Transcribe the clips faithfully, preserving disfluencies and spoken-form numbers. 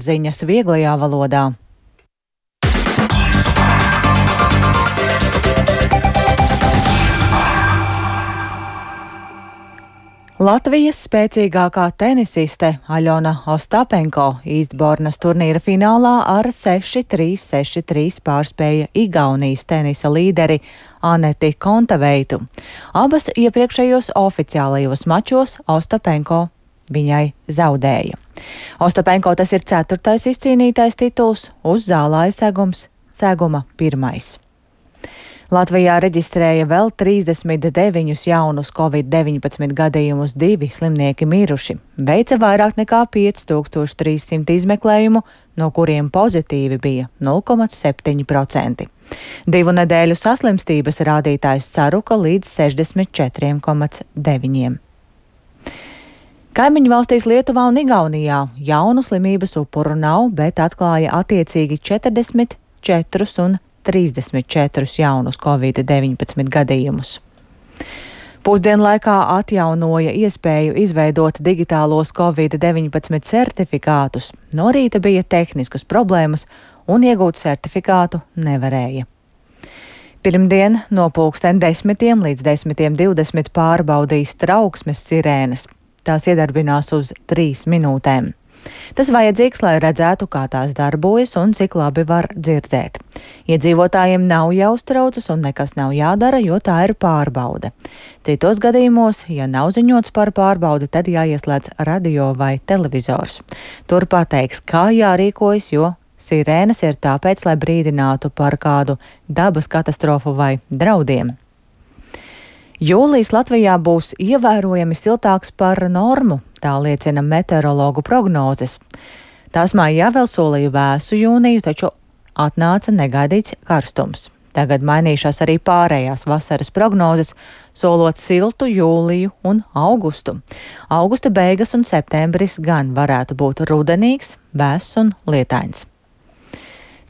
Ziņas vieglajā valodā. Latvijas spēcīgākā tenisiste Aļona Ostapenko Īstbornas turnīra finālā ar seši trīs, seši trīs pārspēja Igaunijas tenisa līderi Aneti Kontaveitu. Abas iepriekšējos oficiālajos mačos Ostapenko viņai zaudēja. Ostapenko tas ir ceturtais izcīnītais tituls, uz zālāja segums seguma pirmais. Latvijā reģistrēja vēl trīsdesmit deviņus jaunus covid deviņpadsmit gadījumus, divi slimnieki miruši. Veica vairāk nekā pieci tūkstoši trīs simti izmeklējumu, no kuriem pozitīvi bija nulle komats septiņi procenti. Divu nedēļu saslimstības rādītājs saruka līdz sešdesmit četriem komats deviņiem. Kaimiņu valstīs Lietuvā un Igaunijā jaunu slimības upuru nav, bet atklāja attiecīgi četrdesmit četrus un trīsdesmit četrus jaunus covid deviņpadsmit gadījumus. Pusdienlaikā atjaunoja iespēju izveidot digitālos covid deviņpadsmit certifikātus. No rīta bija tehniskas problēmas un iegūt certifikātu nevarēja. Pirmdien no pulksten desmitiem līdz desmitiem divdesmit pārbaudīs trauksmes sirēnas. Tās iedarbinās uz trīs minūtēm. Tas vajadzīgs, lai redzētu, kā tās darbojas un cik labi var dzirdēt. Iedzīvotājiem nav jāuztraucas un nekas nav jādara, jo tā ir pārbaude. Citos gadījumos, ja nav ziņots par pārbaudi, tad jāieslēdz radio vai televizors. Tur pateiks, kā jārīkojas, jo sirēnas ir tāpēc, lai brīdinātu par kādu dabas katastrofu vai draudiem. Jūlijs Latvijā būs ievērojami siltāks par normu, tā liecina meteorologu prognozes. Tās mājā vēl solīja vēsu jūniju, taču atnāca negaidīts karstums. Tagad mainīšās arī pārējās vasaras prognozes, solot siltu jūliju un augustu. Augusta beigas un septembris gan varētu būt rudenīgs, vēss un lietains.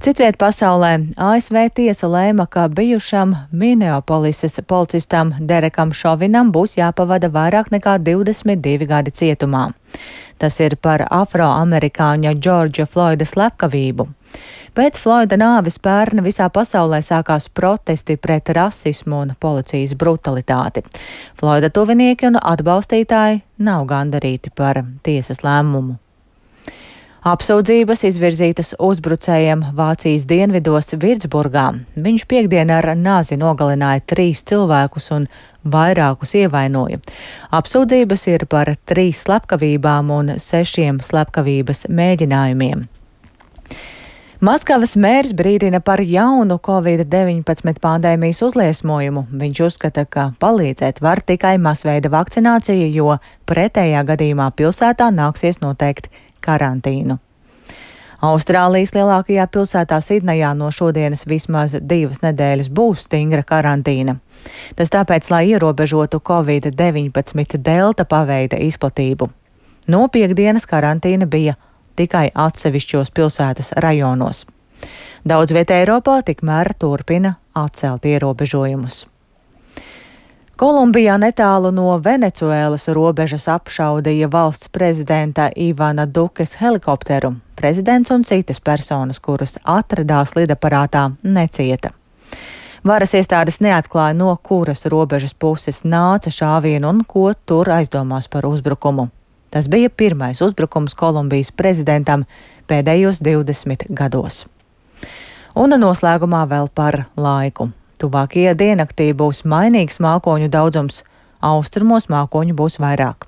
Citviet pasaulē A S V tiesa lēma, ka bijušam Minneapolises policistam Derekam Šovinam būs jāpavada vairāk nekā divdesmit divi gadi cietumā. Tas ir par afroamerikāņa Džordža Floida slepkavību. Pēc Floida nāves pērn visā pasaulē sākās protesti pret rasismu un policijas brutalitāti. Floida tuvinieki un atbalstītāji nav gandarīti par tiesas lēmumu. Apsūdzības izvirzītas uzbrucējiem Vācijas dienvidos Virtsburgā. Viņš piekdien ar nāzi nogalināja trīs cilvēkus un vairākus ievainoja. Apsūdzības ir par trīs slepkavībām un sešiem slepkavības mēģinājumiem. Maskavas mērs brīdina par jaunu covid deviņpadsmit pandēmijas uzliesmojumu. Viņš uzskata, ka palīdzēt var tikai masveida vakcinācija, jo pretējā gadījumā pilsētā nāksies noteikt karantīnu. Austrālijas lielākajā pilsētā Sidnejā no šodienas vismaz divas nedēļas būs stingra karantīna. Tas tāpēc, lai ierobežotu covid deviņpadsmit delta paveida izplatību. No piekdienas karantīna bija tikai atsevišķos pilsētas rajonos. Daudz vietā Eiropā tikmēr turpina atcelt ierobežojumus. Kolumbijā netālu no Venecuēlas robežas apšaudīja valsts prezidenta Ivana Dukes helikopteru. Prezidents un citas personas, kuras atradās lidaparātā, necieta. Varas iestādes neatklāja, no kuras robežas puses nāca šāvienu un ko tur aizdomās par uzbrukumu. Tas bija pirmais uzbrukums Kolumbijas prezidentam pēdējos divdesmit gados. Un noslēgumā vēl par laiku. Tuvākajā diennaktī būs mainīgs mākoņu daudzums, austrumos mākoņu būs vairāk.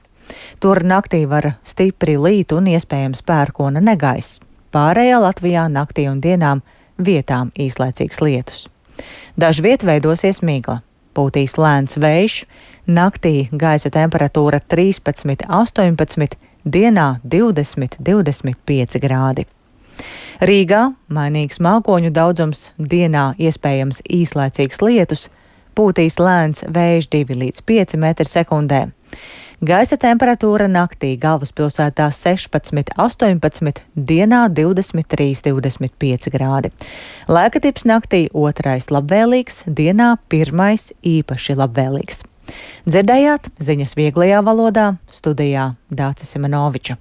Tur naktī var stipri līt un iespējams pērkona negaiss. Pārējā Latvijā naktī un dienām vietām īslaicīgs lietus. Dažviet veidosies migla, pūtīs lēns vējš, naktī gaisa temperatūra trīspadsmit, astoņpadsmit, dienā divdesmit, divdesmit pieci grādi. Rīgā mainīgs mākoņu daudzums, dienā iespējams īslaicīgs lietus, pūtīs lēns vējš divi līdz pieci metri sekundē. Gaisa temperatūra naktī galvaspilsētā sešpadsmit, astoņpadsmit, dienā divdesmit trīs, divdesmit pieci grādi. Laika tips naktī otrais labvēlīgs, dienā pirmais īpaši labvēlīgs. Dzirdējāt ziņas vieglajā valodā, studijā Dācis Simenoviča.